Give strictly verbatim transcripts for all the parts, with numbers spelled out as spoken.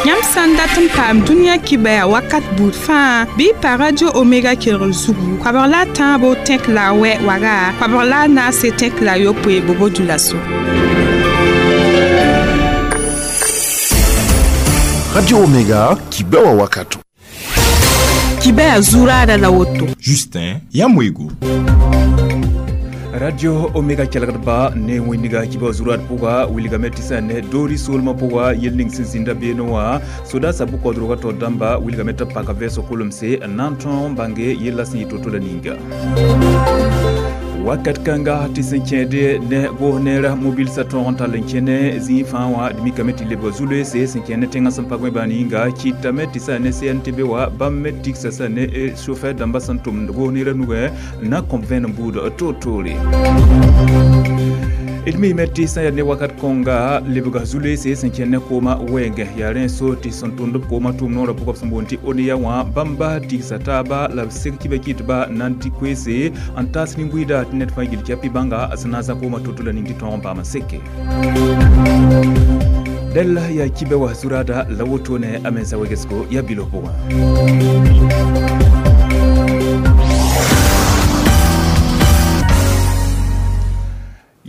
Yãmb sã n dat n paam dũniyã kibaya wakat buud fãa bɩ y pa Radio Omega kelgr zugu koabg la a tãabo tẽk la a wɛ waga koabg la a naase tẽk la a yopoe bobo dulaso. Radio Omega kibewa wakato. Kibaya zurada la woto. Justin Yamwego. Radio Omega kelgdba ne wẽndiga kiba zurad pʋga wilgame tɩ sã ne doori soolmã pʋga yel ning sẽn zĩnda beene wã soda sa bʋ-kaoodrgã taoor dãmba wilgame tɩ b paka vɛɛsg kolemse n na n tõog n bãnge yella sẽn yɩ to-to la ninga. Wakat kãnga tɩ sẽn kẽede ne goos neerã mobilsã tõog n tall n kẽne zĩig fãa wã d mikame tɩ lebga zu-loeese sẽn kẽ ne tẽngã sẽn pa gõe bãa yĩnga kɩtame tɩ sã ne C N T B wã bãmb me tigsa sã ne chauffeur dãmbã sẽn tʋmd goos neerã nugẽ n na n kõb vẽenem buud toor-toore. D miime tɩ sã yaa ne wakat kõnga lebga zu-loeese sẽn kẽnd ne koomã wɛɛngẽ yaa rẽ so tɩ sẽn tʋmd b koomã tʋʋm noorã pʋgã b sẽn boond tɩ ONEA wã bãmba tigsa taaba la b seg kiba kɩtba n na n dɩ koeese n taas nin-buiida tɩ ned fãa gil kɛpɩ bãnga sẽn na n zã koomã to-to la ning tɩ tõog n paam n seke. Dɛl yaa kiba wa zuraada la woto ne a mensa wegesgo yaa bilo pʋgã.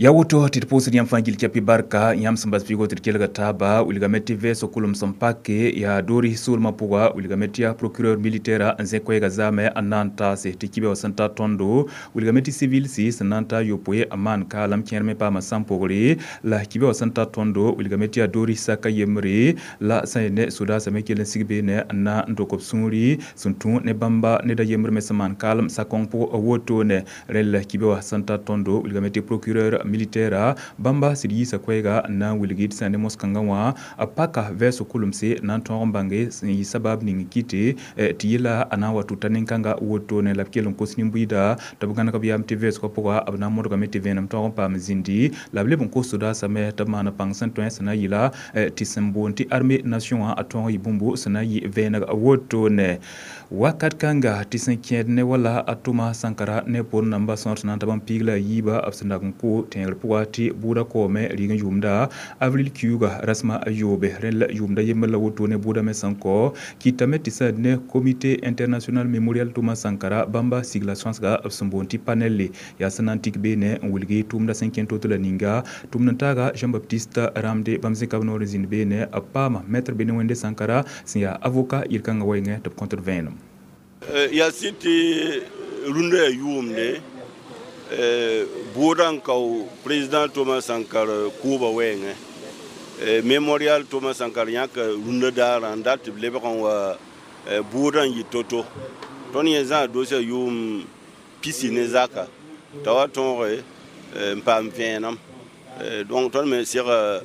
Ya woto tɩ d pʋʋsd yãmb fãa gil kɛpɩ barka yãmb sẽn bas figo tɩ d kelga taaba wilgame tɩ vɛɛsg kolem sẽn pake yaa doori soolmã pʋga wilgame tɩ yaa procureur militaire n zẽ koɛɛgã zaame n na n taase tɩ kiba wã sẽn ta tõndo wilgame tɩ civil sɩ sẽn na n ta yopoe n maan kaalem kẽer me paama sãn-pʋgre la kiba wã sẽn ta tõndo wilgame tɩ yaa doori saka yembre la sã n ne sodaasã me kell n sig beene n na n dok b sũuri sẽn tũ ne bãmba ned a yembr me sẽn maan kaalem sakõng pʋg wotone rẽl kiba wã sẽn ta tõndo wilgame tɩ procureur militaire bãmba sɩd yiisa koɛɛga n na n wilg tɩ sã ne mos-kãngã wã a paka vɛɛsg kolemse na n tõog n bãnge sẽn yɩ sabab ning kɩte tɩ yela a na n wa tʋta nin-kãnga wotone la b kell n kos nin-buiida tɩ b gãneg b yam tɩ vɛɛsgã pʋga b na n modgame tɩ vẽenem tõog n paam zĩndi la b leb n kos sodaasame tɩ b maan pãng sẽn tõe sẽn na n yɩla tɩ sẽn boond tɩ armée nation wã a tõog n yɩ bũmbo sẽn na n yɩ vẽeneg wotone. Wakat kãnga tɩ sẽn kẽed ne wala a Thomas Sankara ne pʋr namba sõor sẽn na n ta bãmb piig la a yiiba b sẽn dag n ko tẽegr pʋga tɩ bʋʋda kaoome rɩg n yʋʋmda avril kiuuga rasmã a yoobe rẽnd la yʋʋmda yembr la woto ne bʋʋda me sẽn kao kɩtame tɩ sã ne comité international mémorial Thomas Sankara bãmba sigla sõsga b sẽn boond tɩ panel yaa sẽn na n tik beene n wilgi tʋʋmda sẽn kẽnd to-to la ninga tʋmd n taaga Jean-Baptiste Ramde bãmb zẽka b noor n zĩnd beene b paama maître Bene Wẽnde Sankara sẽn yaa avocat yel-kãngã wɛɛngẽ tɩ b kõtd vẽenem. Yaa sɩd tɩ rũndã yaa yʋʋmde bʋʋdã n kao président Thomas Sankara kʋʋba wɛɛngẽ mémorial Thomas Sankara yãka rũndã daarã n dat tɩ b lebg n wa bʋʋdã n yɩ to-to tõnd yẽ zã doosã yʋʋm pisi ne zaka t'a wa tõoge n paam vẽenem donc tõnd me sega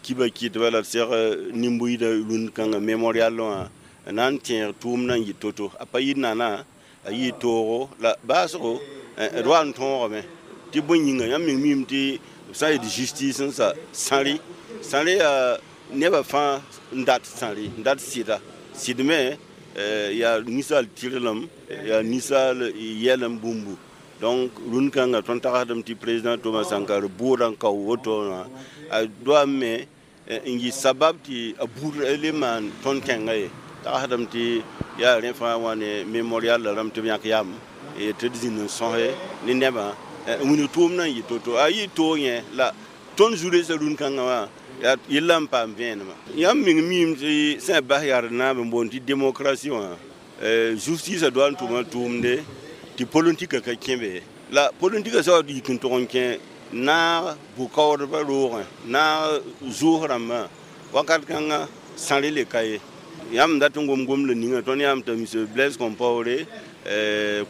kiba kɩtba la d seg nin-buiidã rũnd-kãngã mémorial wã n na n tẽeg tʋʋmdã n yɩ to-to a pa yɩ nana a yɩ toogo la baasgo d wa n tõogame tɩ bõe yĩnga yãmb meng miime tɩ b sã n yet justice n sa sãre sãre yaa nebã fãa n dat sãre n dat sɩda sɩd me yaa ninsaal tɩrlem yaa ninsaal yɛlem bũmbu donc rũnd-kãngã tõnd tagsdame tɩ président Thomas Sankara bʋʋdã n kao woto wã a doam me n yɩ sabab tɩ a buud le maan tõnd tẽngã ye tagsdame tɩ yaa rẽ fãa wã ne mémorial la rãmb tɩ b yãk yam tɩ d zĩnd n sõse ne nebã n wilg tʋʋmdã n yɩ to-to a yɩ toog yẽ la tõnd zu-reesã rũnd-kãngã wã yaa yella n paam vẽenemã yãmb meng miime tɩ sã n bas yaad naab n boond tɩ démocratie wã justice doa n tʋma tʋʋmde tɩ politika ka kẽ be la politika sã wa yik n tʋg n kẽ naag bʋ-kaoodbã roogẽ naag zʋʋs rãmbã wakat kãngã sãre le ka ye yãmb dat n gom gomda ninga tõnd yãmb t'a monsieur Blaise Compaoré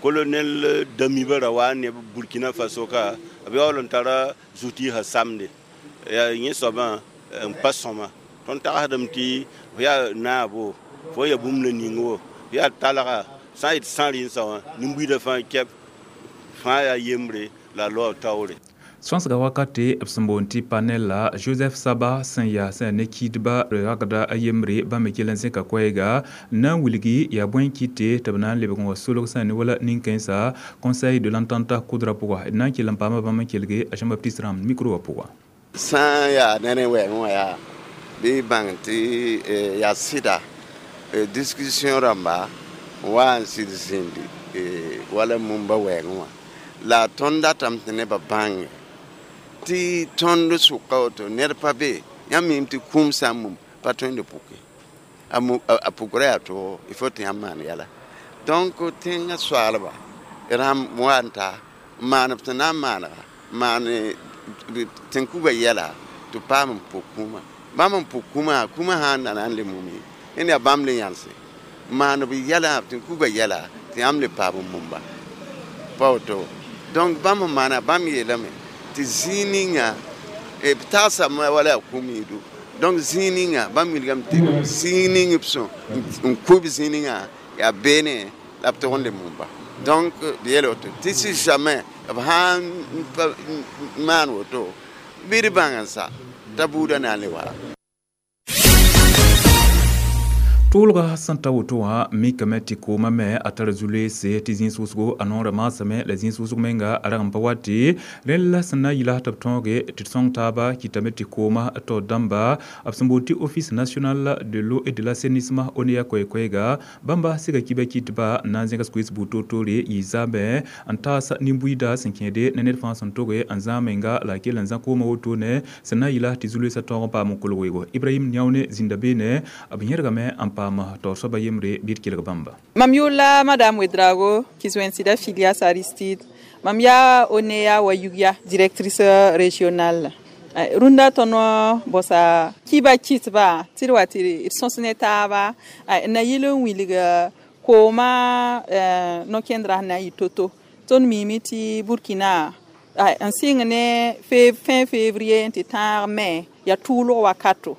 colonel Damiba ra wa ne Burkina Faso ka b yaool n tara zu-tɩɩsã samde yaa yẽ soabã n pa sõma tõnd tagsdame tɩ f yaa naabo fo yaa bũmb la ning wo f yaa talga sã n yet sãr n sa wã nin-buiidã fãa kɛp fãa yaa yembre la a loa taoore. Sõsga wakate b sẽn boond tɩ panel la Joseph Saba sẽn yaa sẽn ne kɩɩdba ragda a yembre bãmb me kell n zẽka koɛɛga n na n wilgi yaa bõe n kɩte tɩ b na n lebg n wa solg sã ne wala nin-kãensã conseil de l'entente kʋdrã pʋga d na n kell n paama bãmb n kelge a Jean-Baptiste Ram micro wã pʋga. Sã n yaa ne rẽ wɛɛngẽ wã yaa Bɩ bãng tɩ yaa sɩda discussion rãmba wa n sɩd zĩndi wala mumba wɛɛngẽ wã la tõnd datame tɩ nebã bãnge tɩ tõnd sʋka woto ned pa be yãmb mim tɩ kũum sã n mum pa tõe n d puke a pukra yaa toogo il faut tɩ yãmb maan yɛla donc tẽngã soaalba rãmb wa n ta n maan b sẽn na n maanega maan tẽn-kuga yɛla tɩ paam n puk kũumã bãmb n puk kũumã kũumã sã n da na n le mum ye n yaa bãmb le yãlse maan b yɛla tẽn-kuga yɛla tɩ yãmb le paam n mumba pa woto donc bãmb n maana bãmb yeelame tɩ zĩig ninga b tagsame wala yaa kũum yĩdu donc zĩig ninga bãmb wilgame tɩ zĩig ning b sõ n kʋ b zĩig ninga yaa beene la b tog n le mumba donc b yeel woto tɩ si jamais b sã n maan woto bɩ d bãng n sa t'a buudã na n le wa. Tʋʋlga sẽn ta woto wã mikame tɩ koomã me a tara zu-loeese tɩ zĩig sʋsgo a noorã maasame la zĩig sʋsg menga a rag n pa wa tɩ rẽnd la sẽn na n yɩla tɩ b tõoge tɩ d sõng taaba kɩtame tɩ koomã taoor dãmba b sẽn boond tɩ Office national de l'eau et de l'assainissement ONEA koɛ-koɛɛga bãmba sɩga kiba kɩtba n na n zẽgs koees buud toor-toore yɩ zaamẽ n taas nin-buiida sẽn kẽede ne ned fãa sẽn toge n zãag menga la a kell n zã koomã wotone sẽn na n yɩla tɩ zu-loeesã tõog n paam n kolg weoogo Ibrahim Niaone zĩnda beene b yẽrgame n paam taoor soaba yembre bɩ d kelg bãmba. Mam yʋʋla Madame Ouedraogo Kizoensida Filias Aristide. Mam yaa ONEA wa Yugya directrice régionale. Rũndã tõnd bõsa kiba kɩtba tɩ d wa tɩ d sõs ne taaba n na yɩl n wilg koomã no-kẽndrã sẽn na n yɩ to-to. Tõnd miime tɩ Burkina n sɩng ne fin février n tɩ tãag me yaa tʋʋlg wakato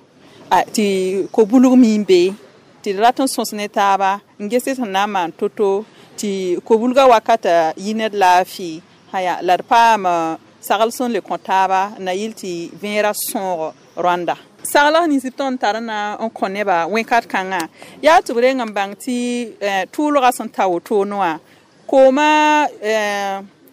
tɩ ko-bulg mi n be tɩ d rat n sõs ne taaba n ges sẽn na n maan to-to tɩ ko-bulgã wakata yɩ ned laafɩ haya la d paam sagl sẽn le kõ taaba n na yɩl tɩ vẽerã sõog rõanda sagl nins b tõnd tar na n kõ nebã wẽnkat kãngã yaa tɩ b reng n bãng tɩ tʋʋlgã sẽn ta wotone wã koomã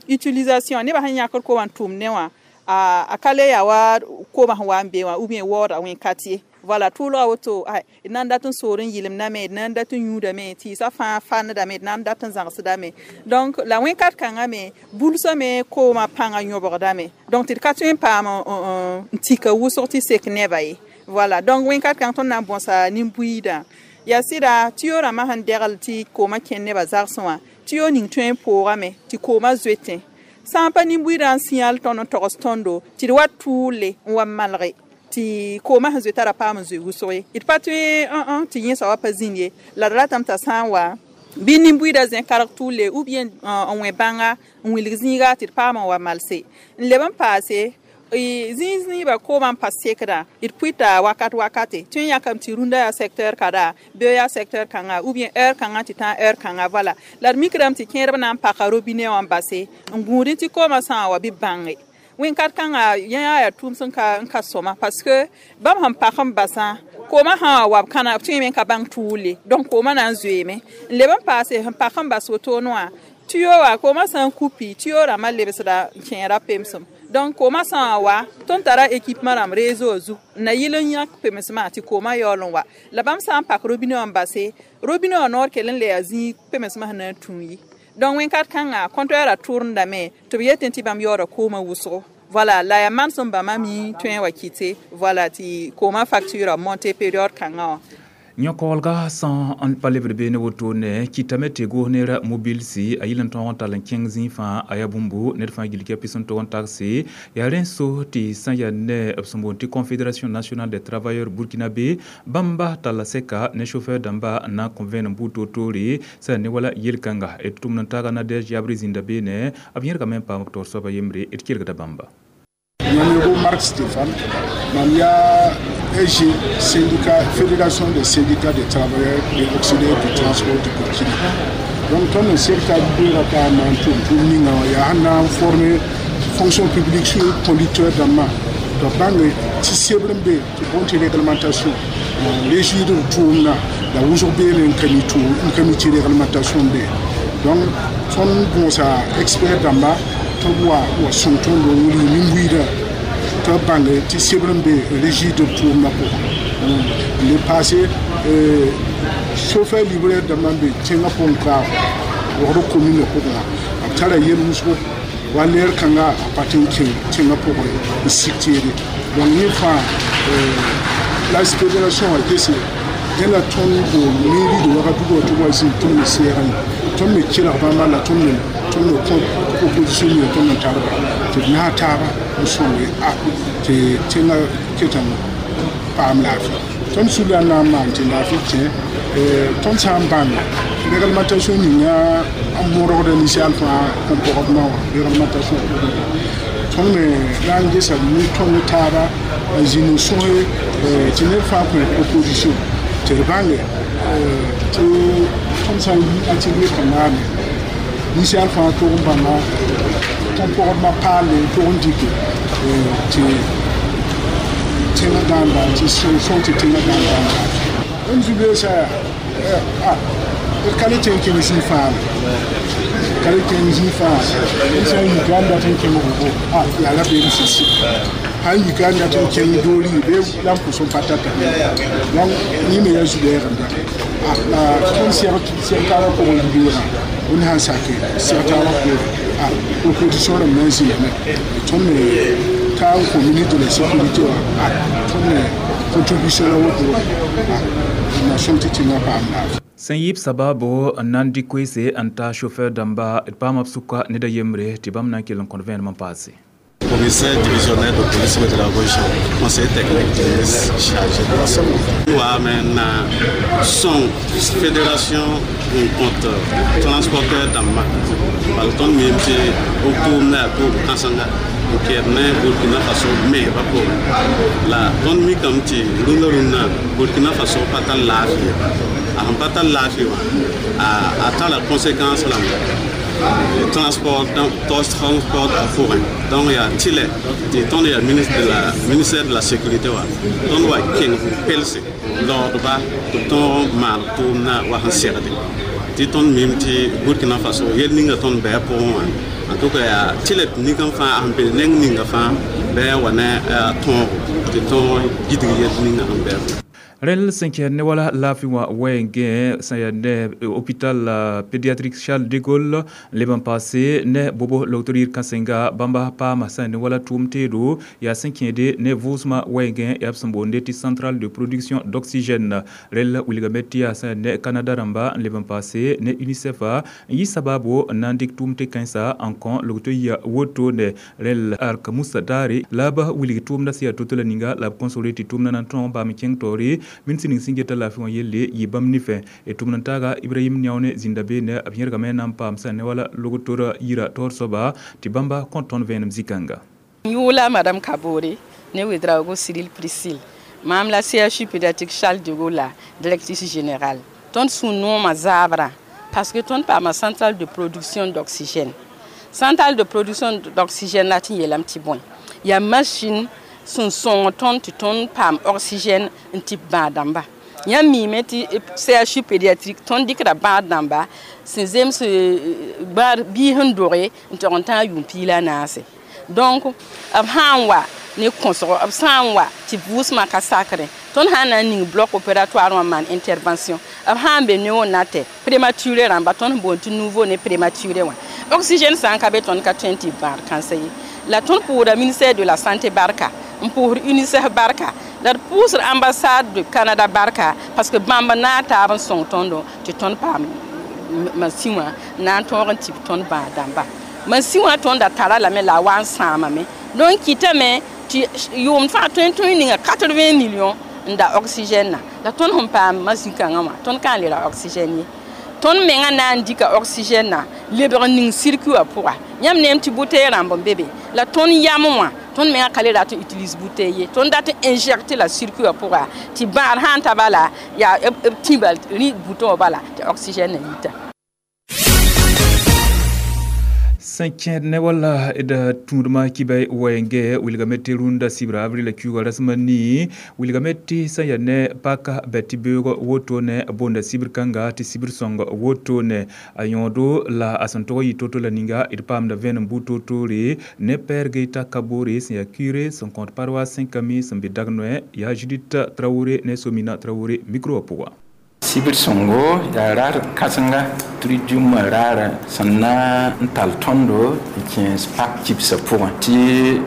utilisation nebã sẽn yãkd koomã n tʋʋm ne wã a ka le yaa wa koomã sẽn wa n be wã ou bien waooda wẽnkat ye. Voilà, tʋʋlga woto d na n dat n soor n yɩlemdame d na n dat n yũudame tɩɩsã fãa fandame d na n dat n zãgsdame donc la wẽnkat kãngã me bulsame koomã pãngã yõbgdame donc tɩ d ka tõe n paam n tika wʋsg tɩ sek neba ye. Voilà, donc wẽnkat kãng tõnd na n bõsa nin-buiidã yaa sɩda tɩ yo rãmbã sẽn degl tɩ koomã kẽnd nebã zagsẽ wã tɩ yo ning tõe n poogame tɩ koomã zoetẽ sã n pa nin-buiidã n sĩyal tõnd n togs tõndo tɩ d wa tʋʋle n wa malge tɩ koomã sẽn zoe t'a ra paam n zoe wʋsg ye d pa tõe tɩ yẽsa wa pa zĩnd ye la d ratame t'a sã n wa bɩ nin-buiidã zẽ karg tʋʋle ou bien n wẽ bãnga n wilg zĩiga tɩ d paam n wa malse n leb n paase zĩig zĩigã koomã n pa sekdã d pʋɩta wakat wakate tõe n yãkame tɩ rũndã yaa secteur kada beo yaa secteur kãnga ou bien heure kãngã tɩ tã heure kãnga voilà la d mikdame tɩ kẽerb na n paka robinet wã n base n gũudẽ tɩ koomã sã n wa bɩ bãnge wẽnkat kãnga yẽ yaa yaa tʋʋm sẽn ka n ka sõma parce que bãmb sẽn pak n basã koomã sã wa b kãna b tõeme n ka bãng tʋʋle donc koomã na n zoeeme n leb n paase sẽn pak n bas wotone wã tuyo wã koomã sã n kupi tuyo rãmbã lebsda n kẽera pemsem donc koomã sã n wa tõnd tara équipement rãmb réseau zug n na yɩl n yãk pemsmã tɩ koomã yaool n wa la bãmb sã n pak robinet wã n base robinet wã noor kell n le yaa zĩig pemsmã sẽn na n tũ ye donc wẽnkat kãnga compteur a tʋrendame tɩ b yetẽ tɩ bãmb yaooda koomã wʋsgo. Voilà, la yaa manesem bãmba mi tõe n wa kɩte voilà tɩ koomã facture a monte période kãngã wã. Yõkoolga sã n pa lebd beene wotone kɩtame tɩ goos neerã mobilsi a yɩl n tõog n tall n kẽng zĩig fãa a yaa bũmbu ned fãa gil kɩ pis n tog n tagse yaa rẽ so tɩ sã n yaa ne b sẽn boond tɩ Confédération nationale des travailleurs burkinabé bãmba talla sɛka ne chauffeur dãmba n na n kõ vẽenem buud toor-toore sã ne wala yel-kãnga d tʋmd n taaga Nadɛge yabre zĩnda beene b yẽrgame n paam b taoor soaba yembre d kelgda bãmba. Numéro Marc Stéphane, mam yaa S G, syndicat, Fédération des syndicats des travailleurs et auxiliaires du transport du Burkina. Donc, tõnd n seg t'a beoogã t'a maan tʋʋm-tʋʋm ninga wã yaa sẽn na n former fonction publique sur conducteur dãmbã tɩ b bãnge tɩ sebr n be tɩ boond tɩ réglementation régir b tʋʋmdã la wʋsg beeme n ka mi tʋʋm n ka mi tɩ réglementation be donc tõnd bõosa expert dãmba tɩ b wa wa sõng tõndo n wilg nin-buiidã tɩ b bãnge tɩ sebr n be régir b tʋʋmdã pʋgã. Le passé chauffeur livreur dãmbã n be tẽngã pʋgẽ ka wogd commune pʋgẽ wã b tara yel-wʋsgo wa leer kãnga a pa tɩ n kẽ tẽngã pʋgẽ n sik teede donc yẽ fãa la fédération wã gese dẽ la tõnd bool mairie de Ouagadougou tɩ wa zĩig tõnd me seegã ye tõnd me kelg bãmba la tõnd me tõnd me kõ opposition ninga tõnd n tarba tɩ d naag taaba n sõnge a tɩ tẽngã ket n paam laafɩ tõnd sũla n na n maan tɩ laafɩ kẽ tõnd sã n bãng réglementation ninga n modgda ninsaal fãa comportement wã réglementation tõnd me na n gesa ne tõnd taaba n zĩnd n sõse tɩ ned fãa kõ opposition tɩ d bãnge tɩ tõnd sã n yi atelier kãnga me ninsaal fãa tog n bãnga comportement paale n tog n dɩke tɩ tẽngã dãmba tɩ sõng tɩ tẽngã dãmba n zu-beesã yaa d ka le tẽ n kẽng zĩig fãa ka le kẽng zĩig fãa d sã n yika n dat n kẽng vogo yaa la beem sẽn sɩ sãn yika n dat n kẽng doori bee la n pʋs n pa tata donc yẽ me yaa zu-bɛɛgemda la tõnd sɛg taabã pʋgẽ yibeoogã wẽnd sãn sake sɛg taabã poore opposition rãmb na n zĩigame tõnd me ta n kõ ministre de la sécurité wã tõnd me contribution la woto wã na sõng tɩ tẽngã paam laafɩ sẽn yɩɩb sababo n na n dɩk koeese n ta chauffeur dãmba d paama b sʋka ned a yembre tɩ bãmb na n kell n kõt vẽenem n paase. Commissaire divisionnaire de police de la région, conseiller technique du ministre chargé de la sécurité. Wa maintenant son fédération contre transporteur dãmba bala tõnd miime tɩ b tʋʋmda yaa tʋʋm kãsenga n kɛɛd ne Burkina Faso meebã pʋgẽ la tõnd mikame tɩ rũndã rũndã Burkina Faso pa tar laafɩ ye a sẽn pa tar laafɩ wã a tara conséquence rãmba transport transport a pʋgẽ donc yaa tɩlɛ tɩ tõnd yaa ministre de la ministère de la sécurité wã tõnd wa kẽng pelse laoodba tɩ tõog maan tʋʋmdã wa sẽn segde tɩ tõnd mim tɩ Burkina Faso yel ninga tõnd bɩ a pʋgẽ wã en tout cas yaa tɩlɛ tɩ ning n fãa a sẽn be neng ninga fãa bɩ a wa ne tõogo tɩ tõog gidg yel ninga sẽn bɩ a pʋgẽ. Rẽl sẽn kɛɛd ne wala laafɩ wã wɛɛngẽ sẽn yaa ne hôpital pédiatrique Charles de Gaulle n leb n paase ne bobo logtr yir kãsenga bãmba paama sã ne wala tʋʋm teedo yaa sẽn kẽede ne vʋʋsmã wɛɛngẽ yaa b sẽn boonde tɩ centrale de production d'oxygène rẽl wilgame tɩ yaa sẽn ne Canada rãmba n leb n paase ne UNICEF n yɩ sabaabo n na n dɩk tʋʋm tɩ kãensa n kõ logto yia wotone rẽl ark musa daare la b wilg tʋʋmdã sẽn yaa to-to la ninga la b kõsgre tɩ tʋʋmdã na n tõog n paam kẽng taoore min sẽn ning sẽn geta laafɩ wã yelle yɩ bãmb nifẽ d tʋmd n taaga Ibrahim Niaone zĩnda beene b yẽrgame na n paam sã ne wala logtora yira taoor soaba tɩ bãmba kõ tõnd vẽenem zĩ-kãnga. Yʋʋla Madame Kabore ne Ouedraogo Cyril Priscille maam la C H U pédiatrique Charles de Gaulle la directrice générale. Tõnd sũ-noomã zaabrã parce que tõnd paama centrale de production d'oxygène. Centrale de production d'oxygène la tɩ n yeelame tɩ bõe yaa machine sẽn sõng tõnd tɩ tõnd paam oxygène n tɩ bãag dãmba. Yãmb miime tɩ C H U pédiatrique tõnd dɩkda bãad dãmba sẽn zems bãad biis n doge n tog n tãag yʋʋm piig la a naase. Donc b sã n wa ne kõsgo b sã n wa tɩ vʋʋsmã ka sakrẽ tõnd sã n na n ning bloc opératoire wã n maan intervention b sã n be néonat prématuré rãmba tõnd sẽn boond tɩ nouveau né prématuré wã oxygène sã n ka be tõnd ka tõe n tɩ bãad kãnsa ye. La tõnd pʋʋsda ministère de la santé barka n pʋʋsd UNICEF barka la d pʋʋsd ambassade de Canada barka parce que bãmb naag taab n sõng tõndo tɩ tõnd paam masin wã na n tõog n tɩ tõnd bãag dãmba masin wã tõnda tara lame la a wa n sãamame donc kɩtame tɩ yʋʋmd fãa tõe n tõe ninga quatre-vingts millions n da oxygène na la tõnd sẽn paam masin kãngã wã tõnd ka n le ra oxygène ye tõnd menga na n dɩka oxygène na lebg n ning circuit wã pʋga yãmb neem tɩ bouteille rãmb n be be la tõnd yam wã tõnd menga ka le rat n utilise bouteille ye tõnd dat n injecte la circuit wã pʋga tɩ bãad sã n ta bala yaa b tĩba rĩ bouton wã bala tɩ oxygène na yita. Sẽn kẽed ne wala d tũudmã kibay wɛɛngẽ wilgame tɩ rũndã sibra avril kiuugã rasem nii wilgame tɩ sẽn yaa ne paka bɛ tɩ beoog woto ne boonda sibr kãnga tɩ sibr sõng woto ne a yõodo la a sẽn tog n yɩ to-to la ninga d paamda vẽenem buud toor-toore ne Père Geita Kabore sẽn yaa curé sẽn kõt paroisse Saint-Camille sẽn be Dagnoɛ yaa Judith Traoré ne Somina Traoré micro wã pʋga. Sibr sõngo yaa raar kãsenga tridium raara sẽn na n tall tõndo n kẽes pak kibsã pʋgẽ tɩ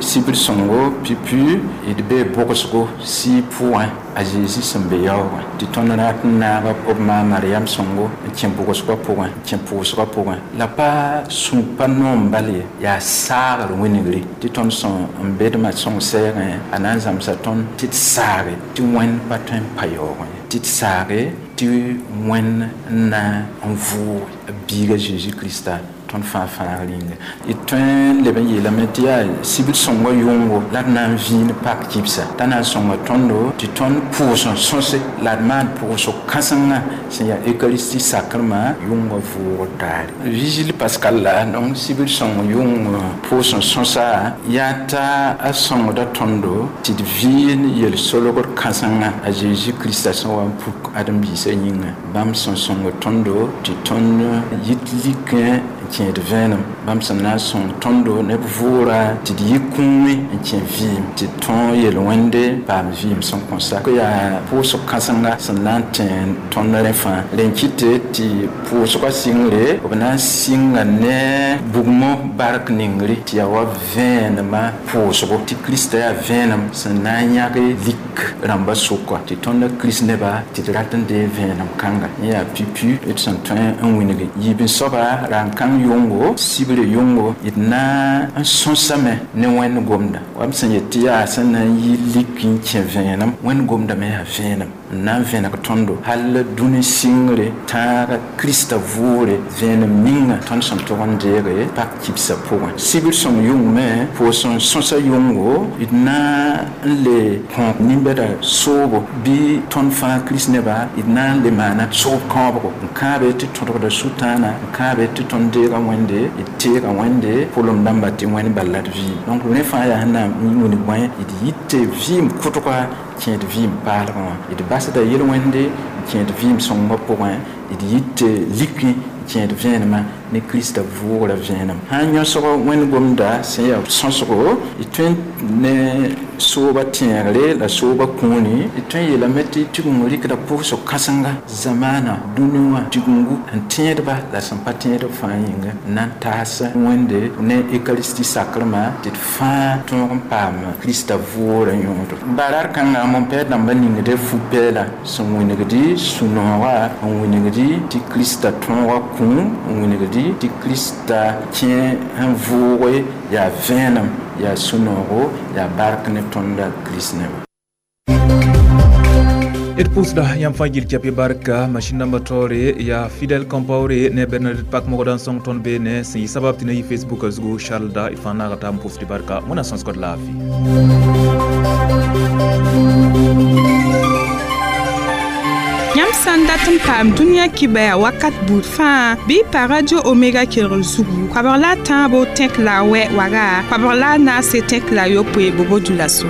sibr sõngo pipu d bee bʋgsgo sɩɩ pʋgẽ a Zeezi sẽn be yaoogẽ tɩ tõnd rat n naag b ma Mariam sõngo n kẽ bʋgsgã pʋgẽ n kẽ pʋʋsgã pʋgẽ la pa sũ pa noom bal ye yaa saagr wingre tɩ tõnd sẽn n bedmã sõng sɛɛgẽ a na n zãmsa tõnd tɩ d saage tɩ wẽnd pa tõe n pa yaoogẽ tɩ d saage tɩ wẽnd n na n vʋʋg biiga Zeezi Krista tõnd fãa fãagr yĩnga d tõe n leb n yeelame tɩ yaa sibr sõngã yʋngo la d na n vĩin pak kibsa t'a na n sõnga tõndo tɩ tõnd pʋʋs n sõse la d maan pʋʋsg kãsenga sẽn yaa eucharistie sakrmã yʋngã vʋʋgr taare vigile pascal la donc sibr sõng yʋng pʋʋs n sõsa yaa t'a a sõngda tõndo tɩ d vɩɩn yel-solgr kãsenga a Zeezi Krista sẽn wa n puk ãdem-biisã yĩnga bãmb sẽn sõng tõndo tɩ tõnd yit likẽ kẽed vẽenem bãmb sẽn na n sõng tõndo neb vʋʋra tɩ d yɩ kũumẽ n kẽ vɩɩm tɩ d tõog yel-wẽnde paam vɩɩm sẽn kõ sa yaa pʋʋsg kãsenga sẽn na n tẽ tõnd rẽ fãa rẽn kɩte tɩ pʋʋsgã sɩngre b na n sɩnga ne bugmõ bark ningre tɩ yaa wa vẽenemã pʋʋsgo tɩ Krista yaa vẽenem sẽn na n yãg lik rãmbã sʋka tɩ tõndã kirist neba tɩ d rat n dee vẽenem kãnga yẽ yaa pipu d sẽn tõe n wilg yiib-n-soaba ra n kãng yʋngo sibre yʋngo d na n sõsame ne wẽnd gomda wa m sẽn yet tɩ yaa sẽn na n yɩ lik n kẽ vẽenem wẽnd gomda me yaa vẽenem n na n vẽneg tõndo hal dũni sɩngre tãaga Krista vʋʋre vẽenem ninga tõnd sẽn tog n deege pak kibsã pʋgẽ sibr sõng yʋng me pʋʋs n sõsa yʋngo d na n le kõ nin-bɛda soobo bɩ tõnd fãa kirist neba d na n le maana soob kãobgo n kãabe tɩ tõdgda sʋtãana n kãabe tɩ tõnd deega wẽnde d teega wẽnde pʋlem dãmba tɩ wẽnd bal la d vɩɩm donc rẽ fãa yaa sẽn na n wilg bõe d yɩ tɩ vɩɩm kʋtga kẽed vɩɩm paalgẽ wã d basda yel-wẽnde n kẽed vɩɩm sõngã pʋgẽ d yɩ tɩ likẽ kẽed vẽenemã ne Krista vʋʋgra vẽenem sã n yõsg wẽnd gomda sẽn yaa sõsgo d tõe ne sooba tẽegre la sooba kũuni d tõe n yeelame tɩ tigeng rɩkda pʋʋsg kãsenga zamaana dũni wã tigengu n tẽedba la sẽn pa tẽedb fãa yĩnga n na n taas wẽnde ne eucharistie sakrmã tɩ d fãa tõog n paam Krista vʋʋgrã yõodo barar kãnga mon-pɛɛr dãmbã ningde fu-pɛɛla sẽn wingdi sũ-noogã n wingdi tɩ Krista tõoga kũum n wingdi tɩ Krista kẽ n vʋʋge yaa vẽenem yaa sũ-noogo yaa bark ne tõnda kirist neba. D pʋʋsda yãmb fãa gil kɛp barka machine namba taoore yaa Fidèle Compaoré ne Bernadette Pak mogda n sõng tõnd beene sẽn yɩ sabab tɩ na yɩ Facebook zugu Charles da d fãa naaga taab n pʋʋsd barka wẽnnaam sõsgd laafɩ. Yãmb sã n dat n paam dũniyã kibaya wakat buud fãa bɩ pa Radio Omega kelgr zugu koabg la a tãabo tẽk la a wɛ waga koabg la a naase tẽk la a yopoe bobo dulaso.